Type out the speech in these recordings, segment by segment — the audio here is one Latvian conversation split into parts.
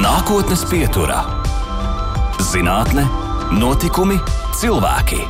Nākotnes pieturā - zinātne, notikumi, cilvēki.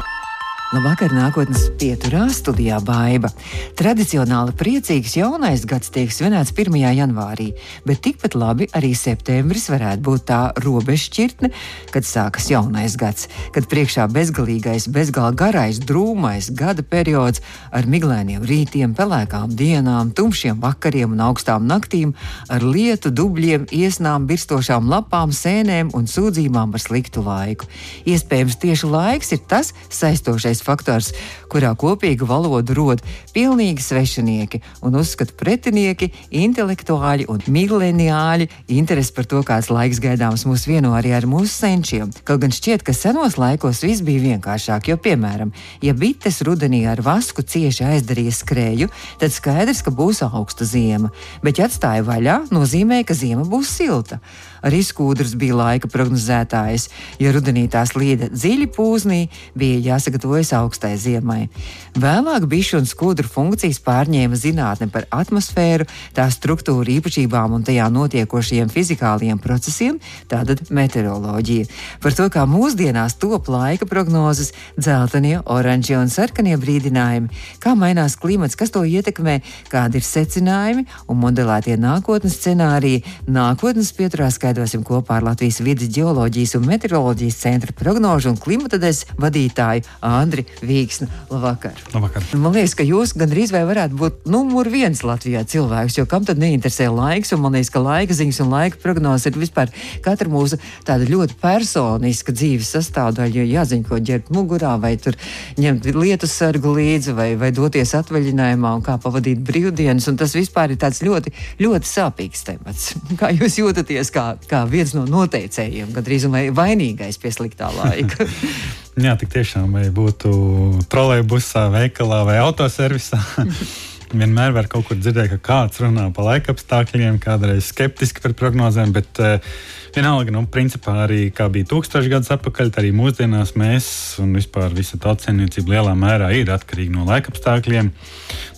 Labvakar, nākotnes pieturā studijā Baiba. Tradicionāli priecīgs jaunais gads tiek svinēts 1. janvārī, bet tikpat labi arī septembris varētu būt tā robežšķirtne, kad sākas jaunais gads, kad priekšā bezgalīgais, bezgala garais, drūmais gada periods ar miglainiem rītiem, pelēkām dienām, tumšiem vakariem un augstām naktīm, ar lietu, dubļiem, iesnām, birstošām lapām, sēnēm un sūdzībām par sliktu laiku. Iespējams, tieši laiks ir tas saistošais faktors, kurā kopīgu valodu rod pilnīgi svešinieki un uzskatu pretinieki, intelektuāļi un mileniāļi. Interesi par to, kāds laiks gaidāms mūs vieno arī ar mūsu senčiem. Kaut gan šķiet, ka senos laikos viss bija vienkāršāk, jo, piemēram, ja bites rudenī ar vasku cieši aizdarīja skrēju, tad skaidrs, ka būs augsta ziema, bet ja atstāja vaļā, nozīmē, ka ziema būs silta. Arī skūdrs bija laika prognozētājs. Ja rudenī tās līda dziļi pūznī, bija jāsagatavojas augstai ziemai. Vēlāk bišu un skūdru funkcijas pārņēma zinātne par atmosfēru, tās struktūru īpašībām un tajā notiekošajiem fizikāliem procesiem, tātad meteoroloģija. Par to, kā mūsdienās top laika prognozes, dzeltenie, oranžie un sarkanie brīdinājumi, kā mainās klimats, kas to ietekmē, kādi ir secinājumi un modelētie nākotnes scenāriji, nākotnes pieturā skaidrosim kopā ar Latvijas vides ģeoloģijas un meteoroloģijas centra prognožu un klimata daļas vadītāju Andri Vīksni. Labvakar. Labvakar. Man liekas, ka jūs gandrīz vai varētu būt numur 1 Latvijā cilvēks, jo kam tad neinteresē laiks, un man liekas, ka laika ziņas un laika prognozes ir vispār katra mūsu tāda ļoti personiska dzīves sastāvdaļa, jo jāziņ, ko ģerbt mugurā, vai tur ņemt lietus sargu līdzi, vai doties atvaļinājumā un kā pavadīt brīvdienas, un tas vispār ir tāds ļoti, ļoti sāpīgs temats. Kā jūs jūtaties kā viens no noteicējiem, gandrīz vai vainīgais pie sliktā laika? Jā, tik tiešām, vai būtu trolejbusā, veikalā vai autoservisā. Vienmēr var kaut kur dzirdēt, ka kāds runā par laikapstākļiem, kādreiz skeptiski par prognozēm, bet vienalga, principā arī kā bija 1000 gadus atpakaļ, arī mūsdienās mēs un vispār visa tautsēmniecība lielā mērā ir atkarīga no laikapstākļiem.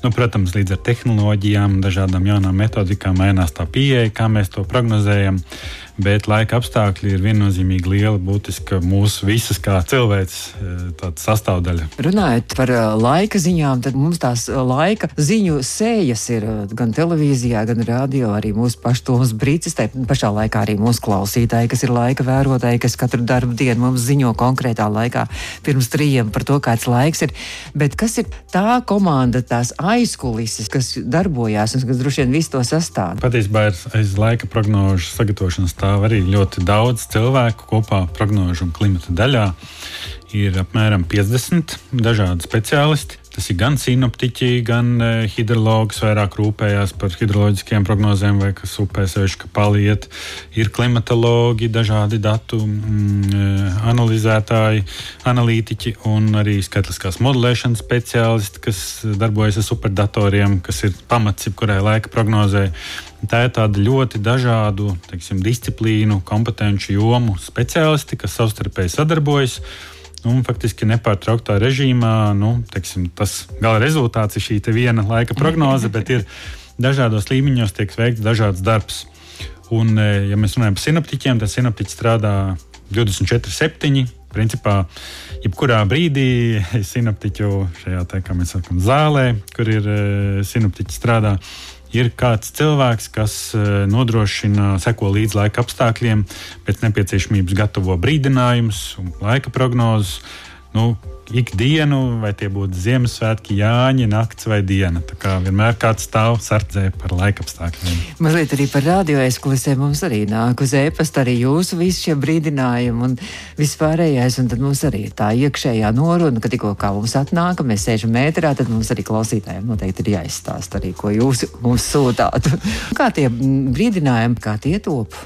Protams, līdz ar tehnoloģijām, dažādām jaunām metodikām mainās tā pieeja, kā mēs to prognozējam, bet laika apstākļi ir viennozīmīgi liela, būtiska mūsu visas kā cilvēks tāda sastāvdaļa. Runājot par laika ziņām, tad mums tās laika ziņu sējas ir gan televīzijā, gan radio, arī mūsu pašu Toms Brīcis, tai pašā laikā arī mūsu klausītāji, kas ir laika vērotāji, kas katru darbu dienu mums ziņo konkrētā laikā pirms 3 par to, kāds laiks ir. Bet kas ir tā komanda, tās aizkulises, kas darbojās un kas droši vien visu to sastāv? Patiesībā aiz laika prognožu sagatavošanas stāv arī ļoti daudz cilvēku kopā prognožu un klimata daļā. Ir apmēram 50 dažādi speciālisti. Tas ir gan sinoptiķi, gan hidrologs vairāk rūpējās par hidroloģiskiem prognozēm, vai kas upē sevišķi, ka paliet. Ir klimatologi, dažādi datu analizētāji, analītiķi un arī skaitliskās modelēšanas speciālisti, kas darbojas ar superdatoriem, kas ir pamats jebkurai laika prognozē. Tā ir tāda ļoti dažādu, disciplīnu, kompetenci jomu speciālisti, kas savstarpēji sadarbojas. Un faktiski nepārtrauktā režīmā, tas gala rezultāts ir šī te viena laika prognoze, bet ir dažādos līmeņos tiek veikts dažāds darbs. Un, ja mēs runājam par sinoptiķiem, tad sinoptiķi strādā 24/7. Principā, jebkurā brīdī sinoptiķu šajā, kā mēs sakam, zālē, kur ir sinoptiķi strādā, ir kāds cilvēks, kas nodrošina, seko līdz laika apstākļiem, pēc nepieciešamības gatavo brīdinājumus un laika prognozes. Ikdienu, vai tie būtu Ziemassvētki, Jāņi, nakts vai diena. Tā kā vienmēr kāds stāv sardzē par laikapstākļiem. Mazliet arī par radio aizkulisēm mums arī nāk uz e-pasta arī jūsu visi šie brīdinājumi un vispārējais, un tad mums arī ir tā iekšējā noruna, ka tikko kā mums atnāk, mēs sēžam ēterā, tad mums arī klausītājiem noteikti ir jāizstāst arī, ko jūs mums sūtāt. Kā tie brīdinājumi, kā tie top?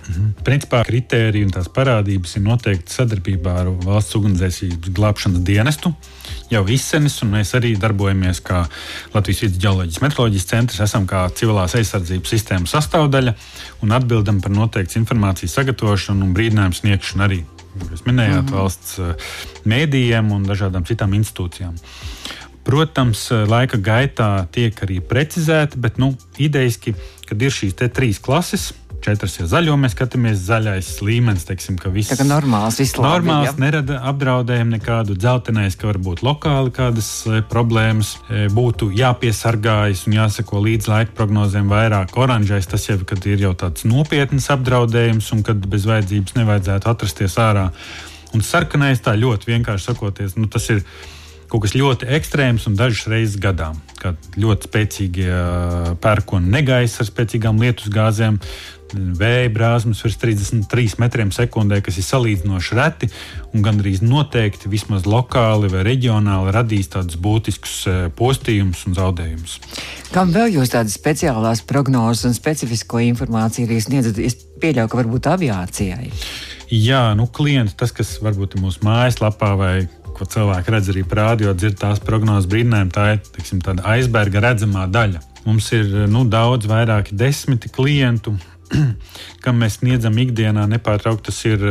Principā kritēriji un tās parādības ir noteikti sadarbībā ar Valsts ugunsdzēsības glābšanas dienestu jau izsenis, un mēs arī darbojamies kā Latvijas vides ģeoloģijas meteoroloģijas centrs, esam kā civilās aizsardzības sistēmas sastāvdaļa un atbildam par noteikts informācijas sagatavošanu un brīdinājumu sniegšanu arī, jūs minējāt, valsts mēdījiem un dažādām citām institūcijām. Protams, laika gaitā tiek arī precizēti, bet idejiski, kad ir šīs te 3 klases, 4, ja zaļo mēs skatāmies, zaļais līmenis, teiksim, ka viss tā kā normāls, viss labi, normāls, nerada apdraudējumu nekādu, dzeltenais, ka varbūt lokāli kādas problēmas, būtu jāpiesargājas un jāseko līdz laika prognozēm vairāk. Oranžais tas jau, kad ir jau tāds nopietnas apdraudējums un kad bez vajadzības nevajadzētu atrasties ārā. Un sarkanais tā ļoti vienkārši sakoties, tas ir kaut kas ļoti ekstrēms un dažas reizes gadā. Kā ļoti spēcīgie pērkoni negaisa ar spēcīgām lietusgāzēm, vēja brāzmas virs 33 metriem sekundē, kas ir salīdzinoši reti un gandrīz noteikti vismaz lokāli vai reģionāli radīs tādus būtiskus postījumus un zaudējumus. Kam vēl jūs tādas speciālās prognozes un specifisko informāciju arī sniedzat? Es pieļauju, ka varbūt aviācijai. Jā, klienti, tas, kas varbūt ir mūsu mājaslapā vai ko cilvēki redz arī rādio, dzird tās prognozes brīdinājumu, tā ir, teiksim, tāda aizberga redzamā daļa. Mums ir daudz vairāki 10 klientu, kam mēs sniedzam ikdienā nepārtraukti. Tas ir,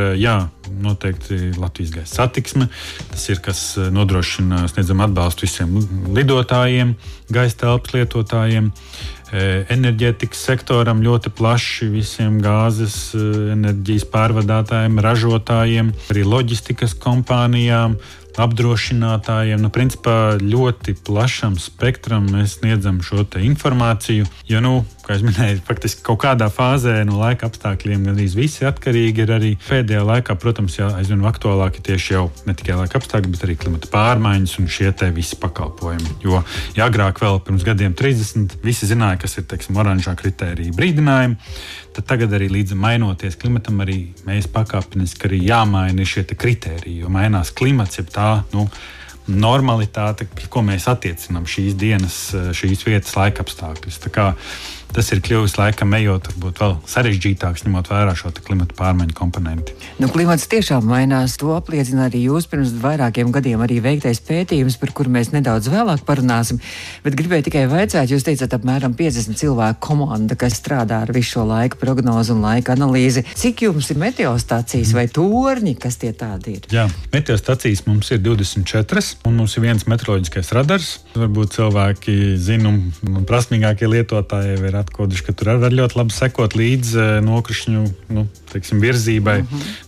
noteikti Latvijas gaisa satiksme, tas ir, kas nodrošina, sniedzam atbalstu visiem lidotājiem, gaisa telpas lietotājiem, enerģētikas sektoram ļoti plaši, visiem gāzes, enerģijas pārvadātājiem, ražotājiem, arī loģistikas kompānijām, apdrošinātājiem. Principā ļoti plašam spektram mēs sniedzam šo te informāciju, jo, kā es minēju, faktiski kaut kādā fāzē no laika apstākļiem gandrīz visi atkarīgi ir arī pēdējā laikā, protams, aizvien aktuālāki tieši jau ne tikai laika apstākļi, bet arī klimata pārmaiņas un šie te visi pakalpojumi. Jo, ja agrāk vēl pirms gadiem 30 visi zināja, kas ir, teiksim, oranžā kritērija brīdinājumi, tad tagad arī līdz mainoties klimatam arī mēs pakāpeniski arī jāmaina šie te kritēriji, jo mainās klimats, jeb tā, normalitāte, ko mēs attiecinām šīs dienas, šīs vietas laika apstākļus. Tā kā tas ir kļuvis laikam ejot, varbūt vēl sarežģītāks, ņemot vērā šo klimata pārmaiņu komponenti. Klimats tiešām mainās, to apliecina arī jūs pirms vairākiem gadiem arī veiktais pētījums, par kuru mēs nedaudz vēlāk parunāsim, bet gribēju tikai vaicāt, jūs teicat apmēram 50 cilvēku komanda, kas strādā ar visu šo laika prognozu un laika analīzi. Cik jums ir meteostacijas vai torņi, kas tie tādi ir? Jā, meteostacijas mums ir 24, un mums ir viens meteoroloģiskais radars. Varbūt cilvēki zina un prasmīgākie lietotāji ir atkoduši, ka tur var ļoti labi sekot līdz nokrišņu virzībai.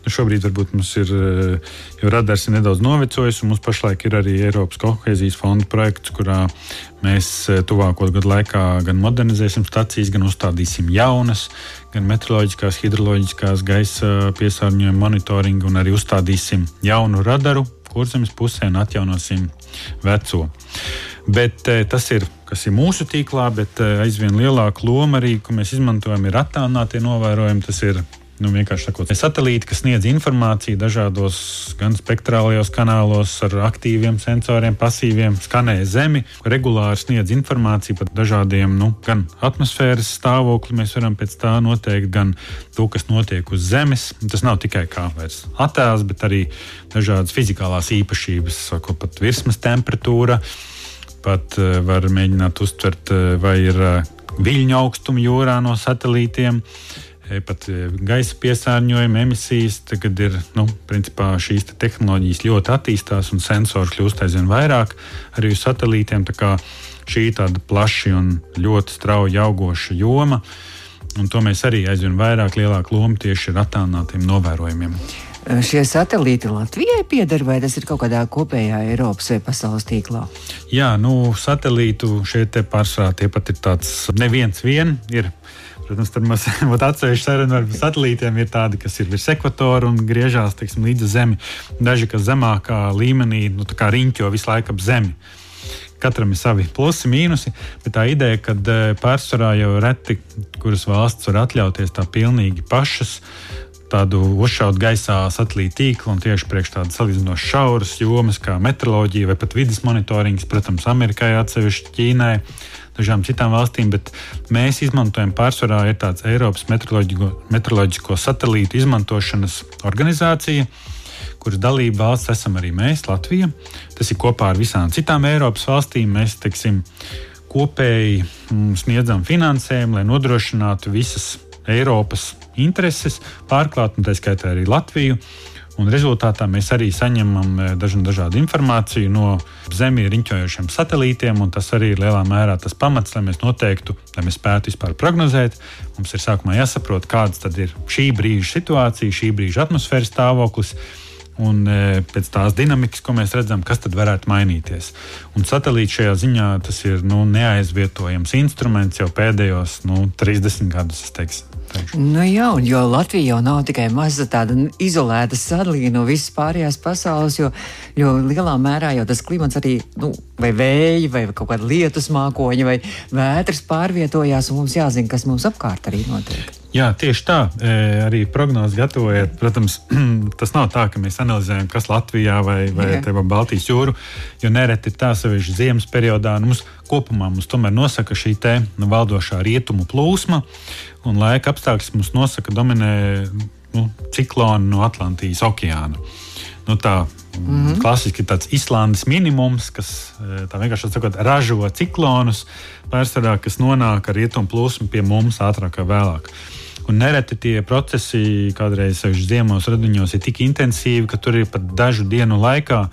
Šobrīd varbūt mums ir, jo radars ir nedaudz novecojis, un mums pašlaik ir arī Eiropas kohēzijas fonda projekts, kurā mēs tuvāko gadu laikā gan modernizēsim stacijas, gan uzstādīsim jaunas, gan meteoroloģiskās, hidroloģiskās, gaisa piesārņojuma monitoringu, un arī uzstādīsim jaunu radaru Kurzemes pusē un atjaunosim veco. Bet tas ir, kas ir mūsu tīklā, bet aizvien lielāka loma arī, ko mēs izmantojam, ir attālinātie novērojumi. Tas ir vienkārši sakot, satelīti, kas sniedz informāciju dažādos gan spektrālajos kanālos ar aktīviem sensoriem, pasīviem, skanē Zemi, regulāri sniedz informāciju par dažādiem, gan atmosfēras stāvokli mēs varam pēc tā noteikt, gan to, kas notiek uz Zemes. Tas nav tikai kā vairs attēls, bet arī dažādas fizikālās īpašības, sako pat virsmas temperatūra, pat var mēģināt uztvert, vai ir viļņu augstuma jūrā no satelītiem, pat gaisa piesārņojuma emisijas. Tagad ir, principā šīs tehnoloģijas ļoti attīstās un sensori kļūst aizvien vairāk arī uz satelītiem. Tā kā šī tāda plaši un ļoti strauji augoša joma, un to mēs arī aizvien vairāk lielāku lomu tieši ar attālinātiem novērojumiem. Šie satelīti Latvijai pieder, vai tas ir kaut kādā kopējā Eiropas vai pasaules tīklā? Jā, satelītu šie te pārsvarā tie pat ir tāds neviens vien ir. Protams, tad mums atsevišķi saruna ar satelītiem ir tādi, kas ir virs ekvatora un griežās, līdz Zemi. Daži, kas zemākā līmenī, tā kā riņķo visu laiku ap Zemi. Katram ir savi plusi, mīnusi, bet tā ideja, ka pārsvarā jau reti, kuras valsts var atļauties tā pilnīgi pašas tādu uzšaut gaisā satelīta tīklu un tieši priekš tādas salīdzinoši šauras jomas kā meteoroloģija vai pat vides monitorings, protams, Amerikai atsevišķi, Ķīnai, dažām citām valstīm, bet mēs izmantojam pārsvarā ir tāds Eiropas meteoroloģisko satelītu izmantošanas organizācija, kuras dalība valsts esam arī mēs, Latvija. Tas ir kopā ar visām citām Eiropas valstīm. Mēs, kopēji sniedzam finansējumu, lai nodrošinātu visas Eiropas intereses, pārklāt, un tā skaitā arī Latviju. Un rezultātā mēs arī saņemam dažādu informāciju no Zemi riņķojošiem satelītiem, un tas arī ir lielā mērā tas pamats, lai mēs noteiktu, lai mēs spētu vispār prognozēt. Mums ir sākumā jāsaprot, kāds tad ir šī brīža situācija, šī brīža atmosfēras stāvoklis, un pēc tās dinamikas, ko mēs redzam, kas tad varētu mainīties. Un satelīts šajā ziņā tas ir neaizvietojams instruments jau pēdējos 30 gadus, es teikšu. Jā, un jo Latvija jau nav tikai maza tāda izolēta sadalīja no visas pārējās pasaules, jo lielā mērā jau tas klimats arī, vai vēji, vai kaut kāda lietus mākoņi, vai vētras pārvietojās, un mums jāzina, kas mums apkārt arī notiek. Jā, tieši tā. Arī prognozes gatavojot, protams, tas nav tā, ka mēs analizējam, kas Latvijā vai Baltijas jūru, jo nereti ir tā sevišķi ziemas periodā. Mums kopumā tomēr nosaka šī valdošā rietumu plūsma, un laika apstākļus mums nosaka dominē cikloni no Atlantijas okeāna. Klasiski tāds Islandes minimums, kas tā vienkārši sakot, ražo ciklonus, pārsvarā, kas nonāk ar rietumu plūsmu pie mums ātrāk vai vēlāk. Un nereti tie procesi kādreiz ziemos radiņos ir tik intensīvi, ka tur ir pat dažu dienu laikā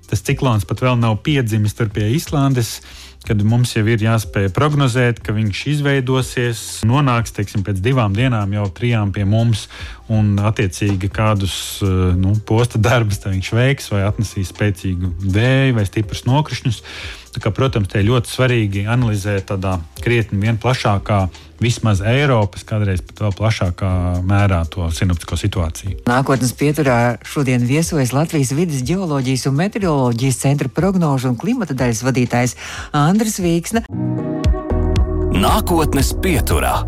tas ciklons pat vēl nav piedzimis tur pie Islandes, kad mums jau ir jāspēj prognozēt, ka viņš izveidosies, nonāks, pēc 2 dienām jau 3 pie mums, un attiecīgi kādus posta darbus viņš veiks, vai atnesīs spēcīgu vēju vai stiprus nokrišņus. Protams, te ir ļoti svarīgi analizēt tādā krietni vien plašākā, vismaz Eiropas, kādreiz pat vēl plašākā mērā to sinoptisko situāciju. Nākotnes pieturā šodien viesojas Latvijas vides ģeoloģijas un meteoroloģijas centra prognožu un klimata daļas vadītājs Andris Vīksne. Nākotnes pieturā.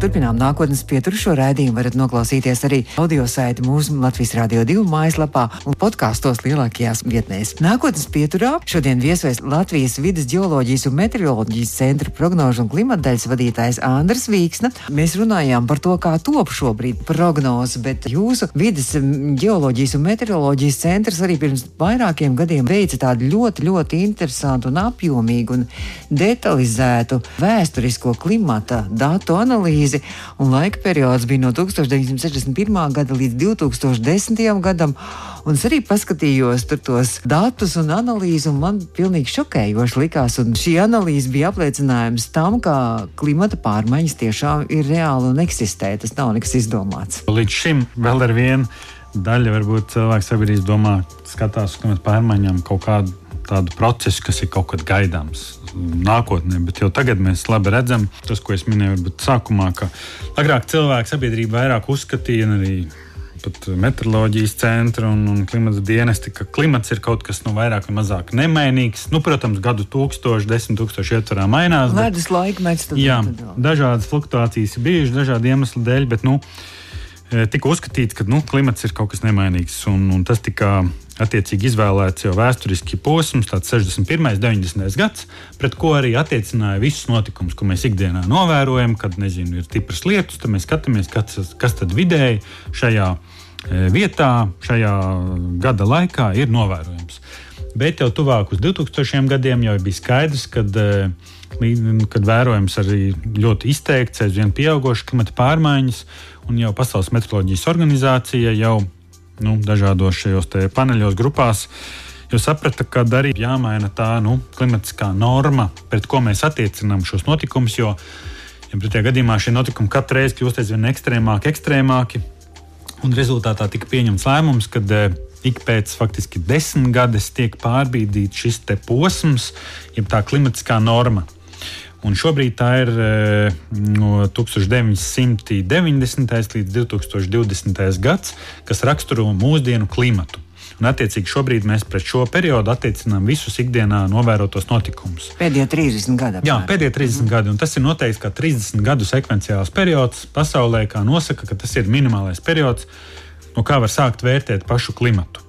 Turpinām nākotnes pieturu. Šo raidījumu varat noklausīties arī audio saiti mūsu Latvijas Radio 2 mājaslapā un podkastos lielākajās vietnēs. Nākotnes pieturā šodien viesojas Latvijas vides ģeoloģijas un meteoroloģijas centra prognožu un klimata daļas vadītājs Andris Vīksne. Mēs runājām par to, kā top šobrīd prognozes, bet jūsu vides ģeoloģijas un meteoroloģijas centrs arī pirms vairākiem gadiem veica tādu ļoti, ļoti interesantu un apjomīgu un detalizētu vēsturisko klimata datu analīzi. Un laika periods bija no 1961. gada līdz 2010. gadam. Un es arī paskatījos tur tos datus un analīzi, un man pilnīgi šokējoši likās. Un šī analīze bija apliecinājums tam, ka klimata pārmaiņas tiešām ir reāli un eksistē. Tas nav nekas izdomāts. Līdz šim vēl ar vienu daļu varbūt cilvēks sabiedrības domā, skatās uz klimata pārmaiņām kaut kādu tādu procesu, kas ir kaut kad gaidāms nākotnē, bet jau tagad mēs labi redzam, tas, ko es minēju, varbūt sākumā, ka agrāk cilvēku sabiedrība vairāk uzskatīja, un arī pat meteoroloģijas centra un klimata dienesti, ka klimats ir kaut kas vairāk vai mazāk nemainīgs. Protams, gadu 1000, 10 000 ietvarā mainās. Ledus laikmets. Jā, dažādas fluktuācijas ir bijušas dažādu iemeslu dēļ, bet tika uzskatīts, ka klimats ir kaut kas nemainīgs, un tas tika attiecīgi izvēlēts jau vēsturiski posms, tāds 61. 90. gads, pret ko arī attiecināja visus notikumus, ko mēs ikdienā novērojam, kad, ir stipras lietus, tad mēs skatāmies, kas tad vidēji šajā vietā, šajā gada laikā ir novērojams. Bet jau tuvāk uz 2000 gadiem jau bija skaidrs, kad vērojams arī ļoti izteikts, aizvien pieaugošas klimata pārmaiņas, un jau Pasaules meteoroloģijas organizācija jau dažādos šajos paneļos grupās jau saprata, ka arī jāmaina tā klimatiskā norma, pret ko mēs attiecinām šos notikumus, jo pretējā gadījumā šie notikumi katru reizi kļūst aizvien ekstrēmāki, un rezultātā tika pieņemts lēmums, kad ik pēc faktiski 10 gadus tiek pārbīdīts šis posms, jeb tā klimatiskā norma. Un šobrīd tā ir no 1990. līdz 2020. gads, kas raksturo mūsdienu klimatu. Un, attiecīgi, šobrīd mēs pret šo periodu attiecinām visus ikdienā novērotos notikumus. Pēdējie 30 gadi. Jā, pēdējie 30 gadi. Un tas ir noteikts kā 30 gadu sekvenciāls periods pasaulē, kā nosaka, ka tas ir minimālais periods, no kā var sākt vērtēt pašu klimatu.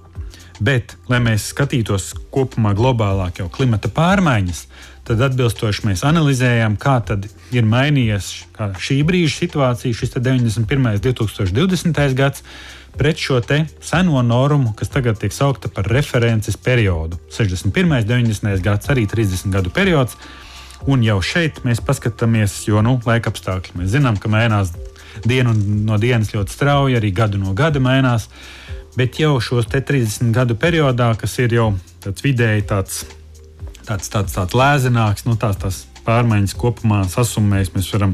Bet, lai mēs skatītos kopumā globālāk jau klimata pārmaiņas, tad atbilstoši mēs analizējām, kā tad ir mainījies šī brīža situācija, šis 91. 2020. gads, pret šo seno normu, kas tagad tiek saukta par references periodu. 61. 90. gads, arī 30 gadu periods, un jau šeit mēs paskatāmies, jo laika apstākļi. Mēs zinām, ka mainās dienu no dienas ļoti strauji, arī gadu no gada mainās. Bet jau šos 30 gadu periodā, kas ir jau tāds vidēji tāds lēzenāks, tās pārmaiņas kopumā sasumējas, mēs varam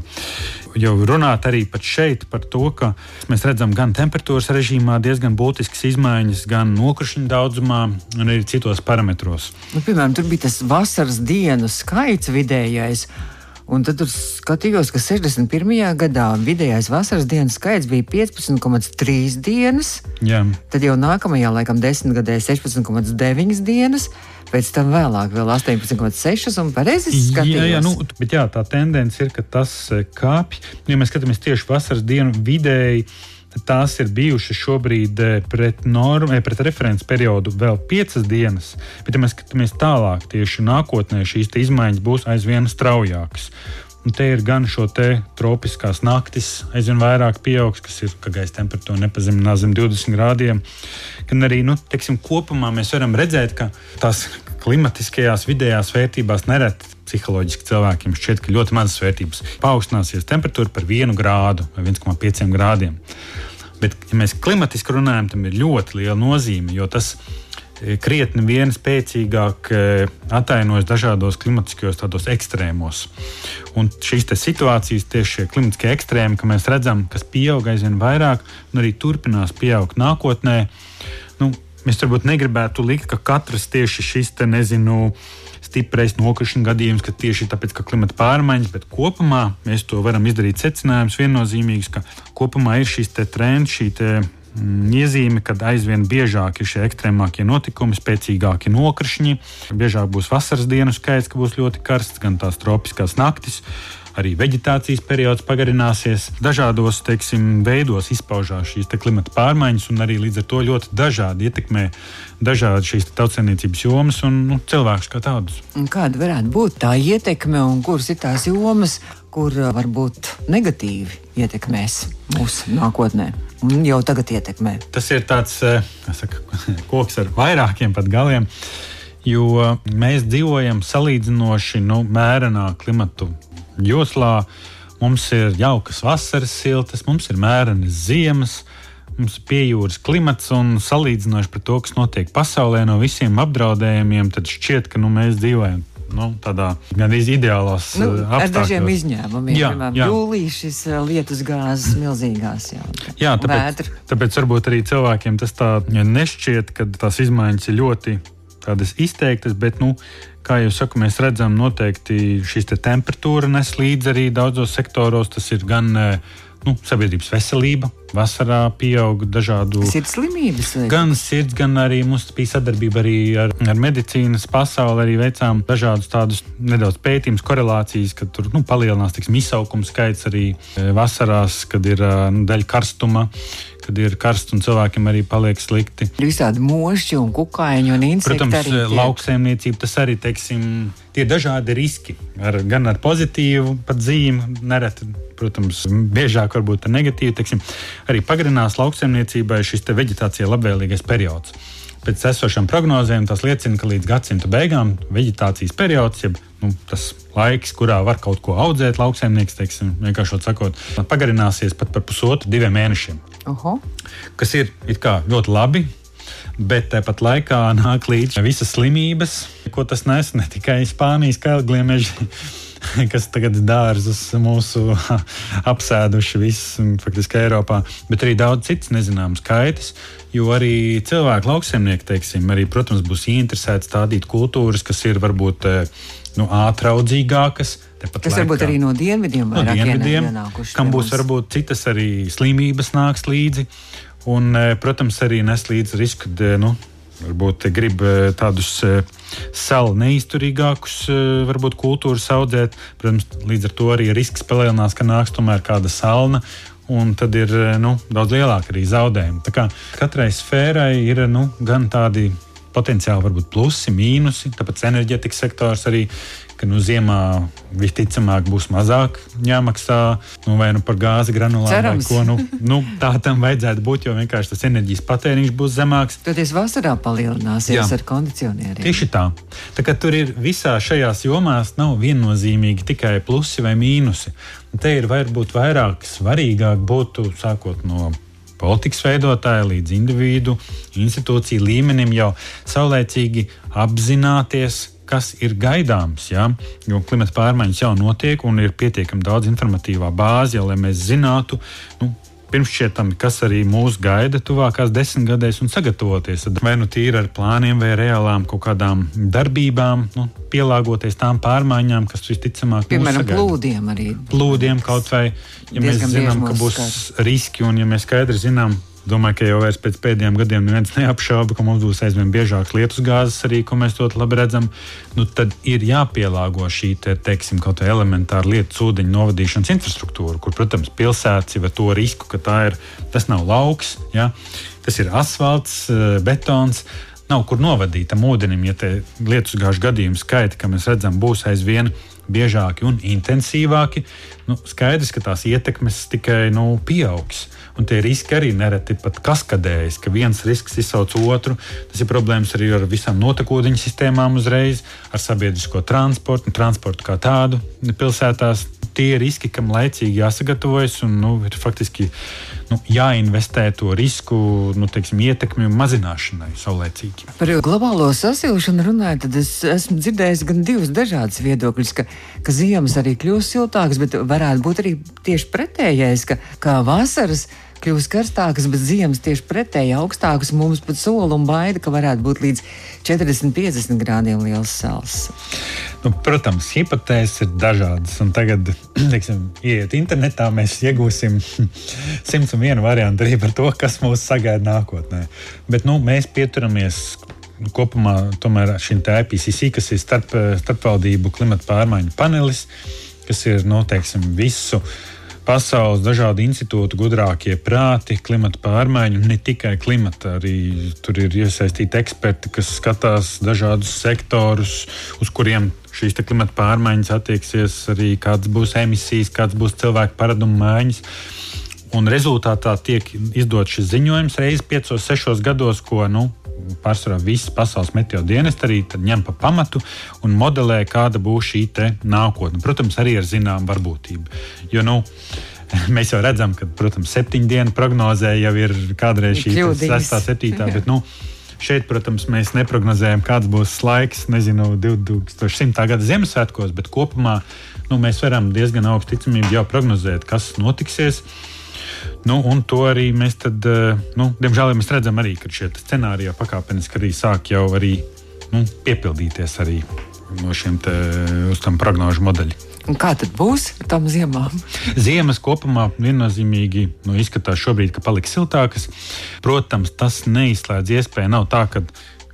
jau runāt arī pat šeit par to, ka mēs redzam gan temperatūras režīmā diezgan būtiskas izmaiņas, gan nokrišņu daudzumā un arī citos parametros. Piemēram, tur bija tas vasaras dienu skaits vidējais. Un tad tur skatījos, ka 61. gadā vidējais vasaras dienas skaits bija 15,3 dienas. Jā. Tad jau nākamajā, laikam, 10 gadē 16,9 dienas. Pēc tam vēlāk vēl 18,6 un pareizi skatījos. Bet tā tendence ir, ka tas kāpj. Ja mēs skatāmies tieši vasaras dienu vidēji, tās ir bijušas šobrīd pret referents periodu vēl 5 dienas, bet ja mēs skatāmies tālāk, tieši nākotnē šīs izmaiņas būs aizvien straujākas. Un te ir gan šo tropiskās naktis aizvien vairāk pieaugs, kas ir, ka gaisa temperatūra nepazeminās zem 20 grādiem, gan arī, kopumā mēs varam redzēt, ka tās klimatiskajās vidējās vērtībās nereti psiholoģiski cilvēkiem šķiet, ka ļoti mazas vērtības paaugstināsies temperatūra par 1 grādu vai 1,5 grādiem. Bet, ja mēs klimatiski runājam, tam ir ļoti liela nozīme, jo tas krietni vien spēcīgāk atainojas dažādos klimatiskajos tādos ekstrēmos. Un šīs situācijas, tieši šie klimatiskie ekstrēmi, ka mēs redzam, kas pieaug aizvien vairāk un arī turpinās pieaugt nākotnē. Mēs varbūt negribētu likt, ka katrs tieši šis stiprais nokrišņu gadījums, ka tieši tāpēc, ka klimata pārmaiņas, bet kopumā mēs to varam izdarīt secinājums viennozīmīgs, ka kopumā ir šīs trends, iezīme, kad aizvien biežāk ir šie ekstrēmākie notikumi, spēcīgāki nokrišņi, biežāk būs vasaras dienu skaits, ka būs ļoti karsts, gan tās tropiskās naktis, arī veģetācijas periods pagarināsies. Dažādos, veidos izpaužās šīs klimata pārmaiņas un arī līdz ar to ļoti dažādi ietekmē dažādi šīs tautsaimniecības jomas un cilvēkus kā tādus. Un kāda varētu būt tā ietekme un kuras ir tās jomas, kur varbūt negatīvi ietekmēs mūsu nākotnē un jau tagad ietekmē? Tas ir tāds, koks ar vairākiem pat galiem, jo mēs dzīvojam salīdzinoši mērenā klimatu joslā. Mums ir jaukas vasaras siltas, mums ir mērenas ziemas, mums ir piejūras klimats un salīdzinoši par to, kas notiek pasaulē no visiem apdraudējumiem, tad šķiet, ka mēs dzīvojam tādā gandrīz ideālās apstākļos. Ar dažiem izņēmumiem. Piemēram, jūlijā šis lietus gāzes milzīgās. Jā, tāpēc varbūt arī cilvēkiem tas tā nešķiet, ka tās izmaiņas ir ļoti tādas izteiktas, bet, kā jau saku, mēs redzam, noteikti šīs temperatūra nes līdzi arī daudzos sektoros. Tas ir gan sabiedrības veselība. Vasarā pieaug dažādu sirdslimības. Gan sirds, gan arī mums bija sadarbība arī ar medicīnas pasauli. Arī veicām dažādus tādus nedaudz pētījumus, korelācijas, kad tur palielinās izsaukuma skaits arī vasarās, kad ir daļa karstuma, kad ir karsts un cilvēkiem arī paliek slikti. Visādi mošķi un kukaiņi un insekti. Protams, lauksaimniecība, tas arī, tie dažādi riski. Gan ar pozitīvu pat zīmi, nereti, protams, biežāk varbūt ar negatīvu, arī pagarinās lauksaimniecībai šis veģetācijai labvēlīgais periods. Pēc esošām prognozēm tas liecina, ka līdz gadsimta beigām veģetācijas periods, jeb tas laiks, kurā var kaut ko audzēt lauksaimnieks, vienkāršot sakot, pagarināsies pat par 1,5–2 mēnešiem. Kas ir ļoti labi, bet tāpat laikā nāk līdz visas slimības, ko tas nes ne tikai Spānijas kailgliemeži, kas tagad dārzus mūsu apsēduši visu, faktiski Eiropā, bet arī daudz citas nezināmas kaitas, jo arī cilvēki lauksaimnieki, arī, protams, būs interesēti stādīt kultūras, kas ir varbūt ātraudzīgākas. Kas varbūt arī no dienvidiem ienākuši. Kam būs varbūt citas arī slimības nāks līdzi, un, protams, arī nes līdzi risku, varbūt grib tādus salu neizturīgākus varbūt kultūras audzēt. Protams, līdz ar to arī risks palielinās, ka nāks tomēr kāda salna, un tad ir daudz lielāka arī zaudējumi. Tā kā katrai sfērai ir gan tādi potenciāli varbūt plusi, mīnusi, tāpēc enerģetikas sektors arī, ka ziemā visticamāk būs mazāk jāmaksā, vai par gāzi granulām, vai ko. Tā tam vajadzētu būt, jo vienkārši tas enerģijas patēriņš būs zemāks. Toties vasarā palielināsies ar kondicionieriem. Tieši tā. Tā kā tur ir visā šajās jomās nav viennozīmīgi tikai plusi vai mīnusi. Un te ir varbūt vairāk svarīgāk būtu, sākot no politikas veidotāja līdz individu, institūciju līmenim jau saulēcīgi apzināties, kas ir gaidāms, ja? Jo klimata pārmaiņas jau notiek un ir pietiekami daudz informatīvā bāze, jau, lai mēs zinātu, pirmšķietami, kas arī mūs gaida tuvākās 10 gadēs un sagatavoties. Vai tīri ar plāniem vai reālām kaut kādām darbībām, pielāgoties tām pārmaiņām, kas visticamāk mūs sagaida. Piemēram, plūdiem arī. Plūdiem kaut vai, ja mēs zinām, ka būs riski un ja mēs skaidri zinām, domāju, ka jau vairs pēc pēdējiem gadiem neviens neapšauba, ka mums būs aizvien biežāks lietusgāzes arī, ko mēs ļoti labi redzam, tad ir jāpielāgo šī, teiksim, kaut vai elementāra lietus ūdeņu novadīšanas infrastruktūra, kur, protams, pilsētas jau ar to risku, ka tas nav lauks, ja? Tas ir asfalts, betons, nav kur novadīt tam ūdenim, ja te lietusgāžu gadījumu skaiti, ka mēs redzam, būs aizvien biežāki un intensīvāki, skaidrs, ka tās ietekmes tikai pieaugs. Un tie riski arī nereti pat kaskadējas, ka viens risks izsauc otru. Tas ir problēmas arī ar visām notekūdeņu sistēmām uzreiz, ar sabiedrisko transportu kā tādu pilsētās. Tie riski, kam laicīgi jāsagatavojas un ir faktiski jāinvestē to risku ietekmi mazināšanai saulēcīgi. Par globālo sasilšanu runājot, tad es esmu dzirdējis gan divus dažādus viedokļus, ka ziemas arī kļūst siltākas, bet varētu būt arī tieši pretējais, ka vasaras kļūst karstākas, bet ziemas tieši pretēji augstākas. Mums pat sola un baida, ka varētu būt līdz 40-50 grādiem liels sals. Protams, hipotēzes ir dažādas. Un tagad, ieiet internetā, mēs iegūsim 101 variantu arī par to, kas mūs sagaida nākotnē. Bet mēs pieturamies kopumā tomēr šim IPCC, kas ir starpvaldību klimata pārmaiņu panelis, kas ir, visu pasaules dažādu institūtu gudrākie prāti, klimata pārmaiņu, ne tikai klimata, arī tur ir iesaistīti eksperti, kas skatās dažādus sektorus, uz kuriem šīs klimata pārmaiņas attieksies, arī kāds būs emisijas, kāds būs cilvēku paradumu maiņas. Un rezultātā tiek izdots šis ziņojums reizi 5-6 gados, ko pārsvarā visas pasaules meteo dienesti arī ņem pa pamatu un modelē, kāda būs šī nākotne. Protams, arī ar zinām varbūtību. Jo, mēs jau redzam, ka, protams, 7 dienu prognozē jau ir kādreiz šī 6. 7. Bet, šeit, protams, mēs neprognozējam, kāds būs laiks, 2100. gada Ziemassvētkos, bet kopumā mēs varam diezgan augstu ticamību jau prognozēt, kas notiksies. Un to arī mēs tad, diemžēl mēs redzam arī, ka šie scenāriji jau pakāpeniski arī sāk jau arī piepildīties arī no šiem uz tam prognožu modeļi. Un kā tad būs ar tām ziemām? Ziemas kopumā viennozīmīgi izskatās šobrīd, ka paliks siltākas. Protams, tas neizslēdz iespēju. Nav tā, ka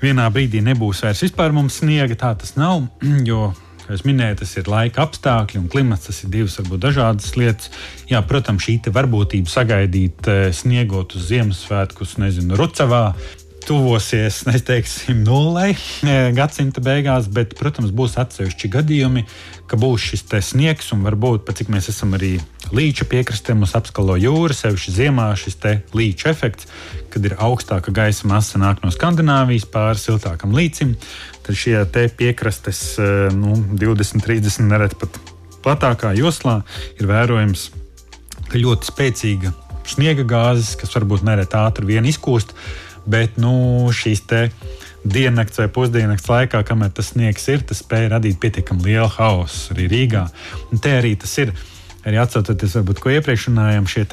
vienā brīdī nebūs vairs vispār mums sniega. Tā tas nav, jo, kā es minēju, tas ir laika apstākļi un klimats, tas ir divas varbūt dažādas lietas. Jā, protams, šī varbūtība sagaidīt sniegot uz Ziemassvētkus, Rucavā, tuvosies, neteiksim, nullei gadsimta beigās, bet, protams, būs atsevišķi gadījumi, ka būs šis sniegs un varbūt, pat cik mēs esam arī līča piekrastē, mums apskalo jūra, sevišķi ziemā šis līča efekts, kad ir augstāka gaisa masa nāk no Skandināvijas pāri siltākam līcim, tad šie piekrastes 20-30 nereti pat platākā joslā ir vērojams, ka ļoti spēcīga sniega gāzes, kas varbūt nereti ātri vien izkūst, bet šīs diennakts vai pusdiennakts laikā, kamēr tas sniegs ir, tas spēja radīt pietiekami lielu haosu arī Rīgā. Un te arī tas ir, arī atsaucoties varbūt, ko iepriekš runājām, šie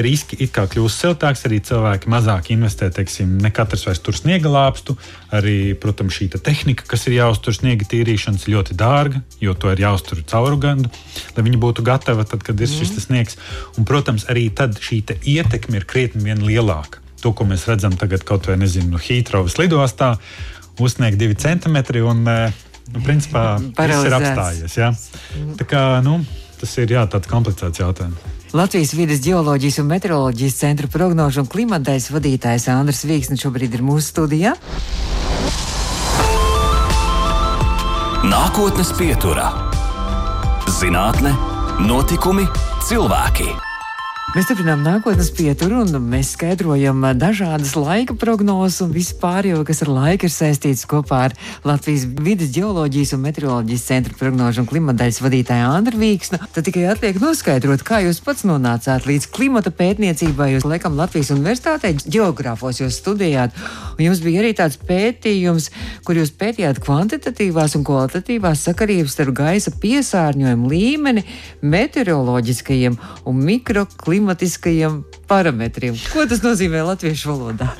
riski it kā kļūst siltāks, arī cilvēki mazāk investē, ne katrs vairs tur sniega lāpstu, arī, protams, šī tehnika, kas ir jāuztur sniega tīrīšanas, ļoti dārga, jo to ir jāuztur cauru gadu, lai viņi būtu gatavi tad, kad ir šis sniegs. Un, protams, arī tad šī ietekme ir krietni vien lielāka. To, ko mēs redzam tagad kaut vai, Hītrovas lidostā, uzsniegt 2 centimetri un, principā, viss ir apstājies. Ja? Tā kā, tas ir tāds komplicēts jautājums. Latvijas vides ģeoloģijas un meteoroloģijas centra prognožu un klimatdaļas vadītājs Andris Vīksnis šobrīd ir mūsu studijā. Nākotnes pieturā. Zinātne, notikumi, cilvēki. Mēs turpinām nākotnes pieturu un mēs skaidrojam dažādas laika prognozes un visu pārējo, kas ar laiku ir saistīts kopā ar Latvijas vides ģeoloģijas un meteoroloģijas centra prognožu un klimatdaļas vadītāju Andru Vīksnu. Tad tikai atliek noskaidrot, kā jūs pats nonācāt līdz klimata pētniecībai. Jūs laikam Latvijas universitātē ģeogrāfos jūs studējāt, un jums bija arī tāds pētījums, kur jūs pētījāt kvantitatīvās un kvalitatīvās sakarības starp gaisa piesārņojumu līmeni, meteoroloģiskajiem un mikroklimatiskajiem parametriem. Ko tas nozīmē latviešu valodā?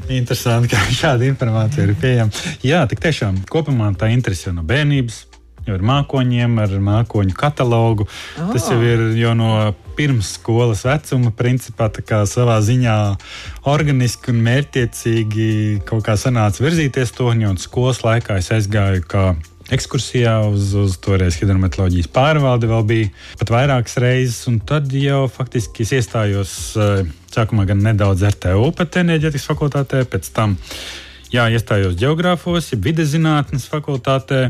Interesanti, ka šāda informācija ir pieejama. Jā, tik tiešām kopumā tā interese jau no bērnības, jau ar mākoņiem, ar mākoņu katalogu. Tas jau ir jau no pirms skolas vecuma, principā tā kā savā ziņā organiski un mērķtiecīgi kaut kā sanāca virzīties to, un skolas laikā es aizgāju kā ekskursijā uz toreiz hidrometeoroloģijas pārvaldi vēl bija pat vairākas reizes, un tad jau faktiski es iestājos sākumā gan nedaudz RTU pat enerģētikas fakultātē, pēc tam iestājos ģeogrāfos, vides zinātnes fakultātē,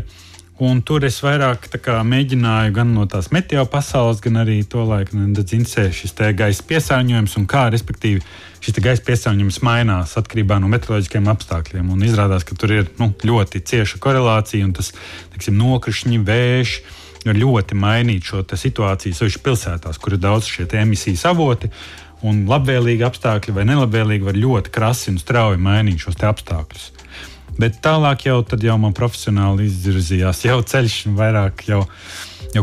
un tur es vairāk tā kā mēģināju gan no tās meteo pasaules, gan arī to laiku nedaudz interesē šis te gaisa piesārņojums un kā, respektīvi, šis te gaisa piesārņojums mainās atkarībā no meteoroloģiskiem apstākļiem. Un izrādās, ka tur ir ļoti cieša korelācija un tas, teiksim, nokrišņi, vējš var ļoti mainīt šo situāciju, sevišķi pilsētās, kur ir daudz šie emisijas avoti. Un labvēlīgi apstākļi vai nelabvēlīgi var ļoti krasi un strauji mainīt šos te apstākļus. Bet tālāk jau man profesionāli izvirzījās jau ceļš vairāk jau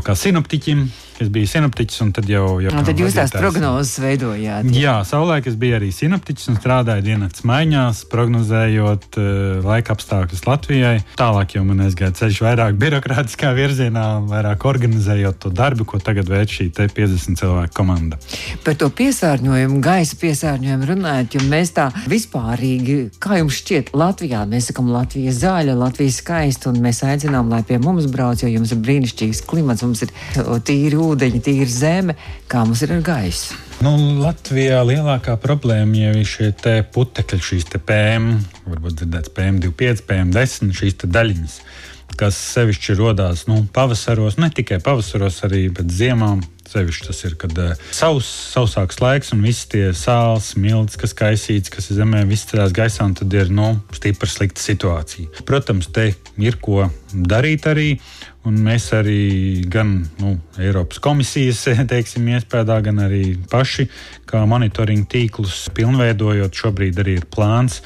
kā sinoptiķim. Es biju sinoptiķis, un tad jau tad jūs tās prognozes veidojāt. Jā, savulaik es biju arī sinoptiķis un strādāju diennakts maiņās, prognozējot laika apstākļus Latvijai. Tālāk jau man aizgāja ceļš vairāk birokrātiskā virzienā, vairāk organizējot to darbu, ko tagad veic šī 50 cilvēku komanda. Par to piesārņojumu, gaisa piesārņojumu runājot, jo mēs tā vispārīgi, kā jums šķiet, Latvijā, mēs sakam Latvija zaļa, Latvija skaista, un mēs aicinām, lai pie mums brauc, jo jums ir brīnišķīgs klimats, mums ir tīri ūdeņi, tīra zeme, kā mums ir ar gaisu. Latvijā lielākā problēma jau ir šie te putekļi, šīs te PM, varbūt dzirdēts PM25, PM10, šīs te daļiņas, kas sevišķi rodās pavasaros, ne tikai pavasaros, arī pēc ziemām. Sevišķi tas ir, kad sausāks laiks un visi tie sāls, milts, kas kaisīts, kas ir zemē, viss cerās gaisā, un tad ir stipri slikta situācija. Protams, te ir ko darīt arī, un mēs arī gan Eiropas komisijas, teiksim, iespējā, gan arī paši, kā monitoringa tīklus pilnveidojot, šobrīd arī ir plāns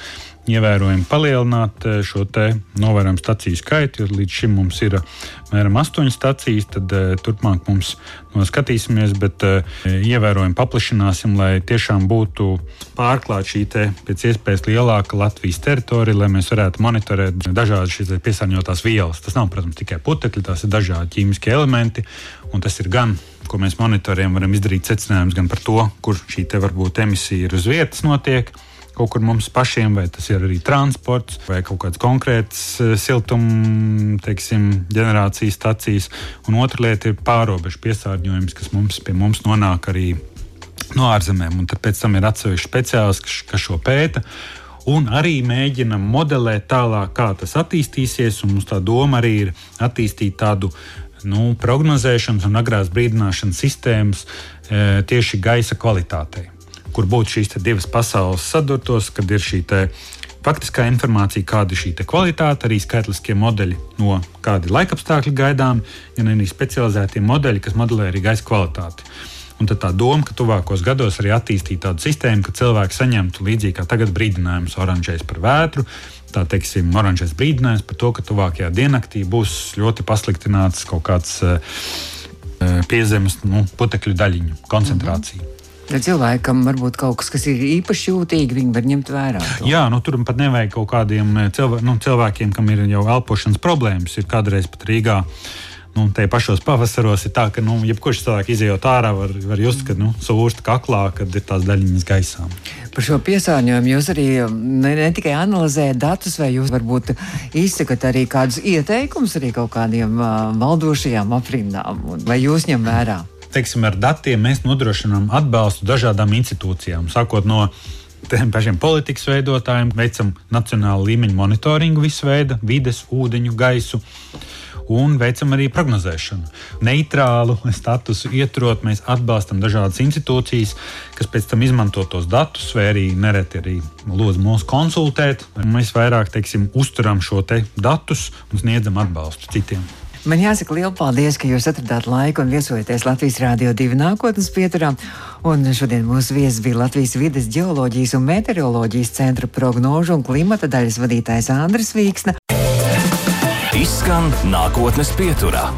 ievērojami palielināt šo te novērojumu staciju skaitu, jo līdz šim mums ir mēram 8 stacijas, tad turpmāk mums skatīsimies, bet ievērojami paplašināsim, lai tiešām būtu pārklāt šī te pēc iespējas lielāka Latvijas teritorija, lai mēs varētu monitorēt dažādas šīs piesārņotās vielas. Tas nav, protams, tikai putekļi, tās ir dažādi ķīmiskie elementi, un tas ir gan, ko mēs monitorējam, varam izdarīt secinājumus gan par to, kur šī te varbūt emisija ir uz vietas notiek, kaut kur mums pašiem, vai tas ir arī transports, vai kaut kāds konkrēts siltuma, teiksim, ģenerācijas stacijas. Un otra lieta ir pārobežu piesārņojums, kas pie mums nonāk arī no ārzemēm. Un tad pēc tam ir atsevišķi speciālisti, kas šo pēta. Un arī mēģinam modelēt tālāk, kā tas attīstīsies. Un mums tā doma arī ir attīstīt tādu prognozēšanas un agrās brīdināšanas sistēmas tieši gaisa kvalitātei, kur būtu šīs divas pasaules sadurtos, kad ir šī faktiskā informācija, kāda ir šī kvalitāte, arī skaitliskie modeļi no kādi laikapstākļi gaidām, gan arī specializētie modeļi, kas modelē arī gaisa kvalitāti. Un tad tā doma, ka tuvākos gados arī attīstīt tādu sistēmu, ka cilvēki saņemtu līdzīgi kā tagad brīdinājums oranžais par vētru, tā teiksim, oranžais brīdinājums par to, ka tuvākajā diennaktī būs ļoti pasliktināts kaut kāds piezemes putekļu daļiņu koncentrācija. Cilvēkam varbūt kaut kas ir īpaši jūtīgi, viņi var ņemt vērā to. Jā, tur pat nevajag kaut kādiem cilvēkiem, kam ir jau elpošanas problēmas. Ir kādreiz pat Rīgā, te pašos pavasaros ir tā, ka jebkurš cilvēks izejot ārā var just, ka sūrst kaklā, kad ir tās daļiņas gaisā. Par šo piesārņojumu jūs arī ne tikai analizējat datus, vai jūs varbūt izsakat arī kādus ieteikumus arī kaut kādiem valdošajām aprindām, vai jūs ņem vērā? Teiksim, ar datiem mēs nodrošinām atbalstu dažādām institūcijām, sākot no tiem pašiem politikas veidotājiem, veicam nacionālu līmeņu monitoringu visu veidu, vides, ūdeņu, gaisu. Un veicam arī prognozēšanu. Neitrālu statusu ieturot, mēs atbalstam dažādas institūcijas, kas pēc tam izmanto tos datus, vai arī nereti arī lūdz mūs konsultēt. Mēs vairāk, uzturam šo te datus un sniedzam atbalstu citiem. Man jāsaka liels paldies, ka jūs atradāt laiku un viesojaties Latvijas Rādio 2 nākotnes pieturā. Un šodien mūsu viesis bija Latvijas vides, ģeoloģijas un meteoroloģijas centra prognožu un klimata daļas vadītājs Andris Vīksna. Izskan nākotnes pieturā.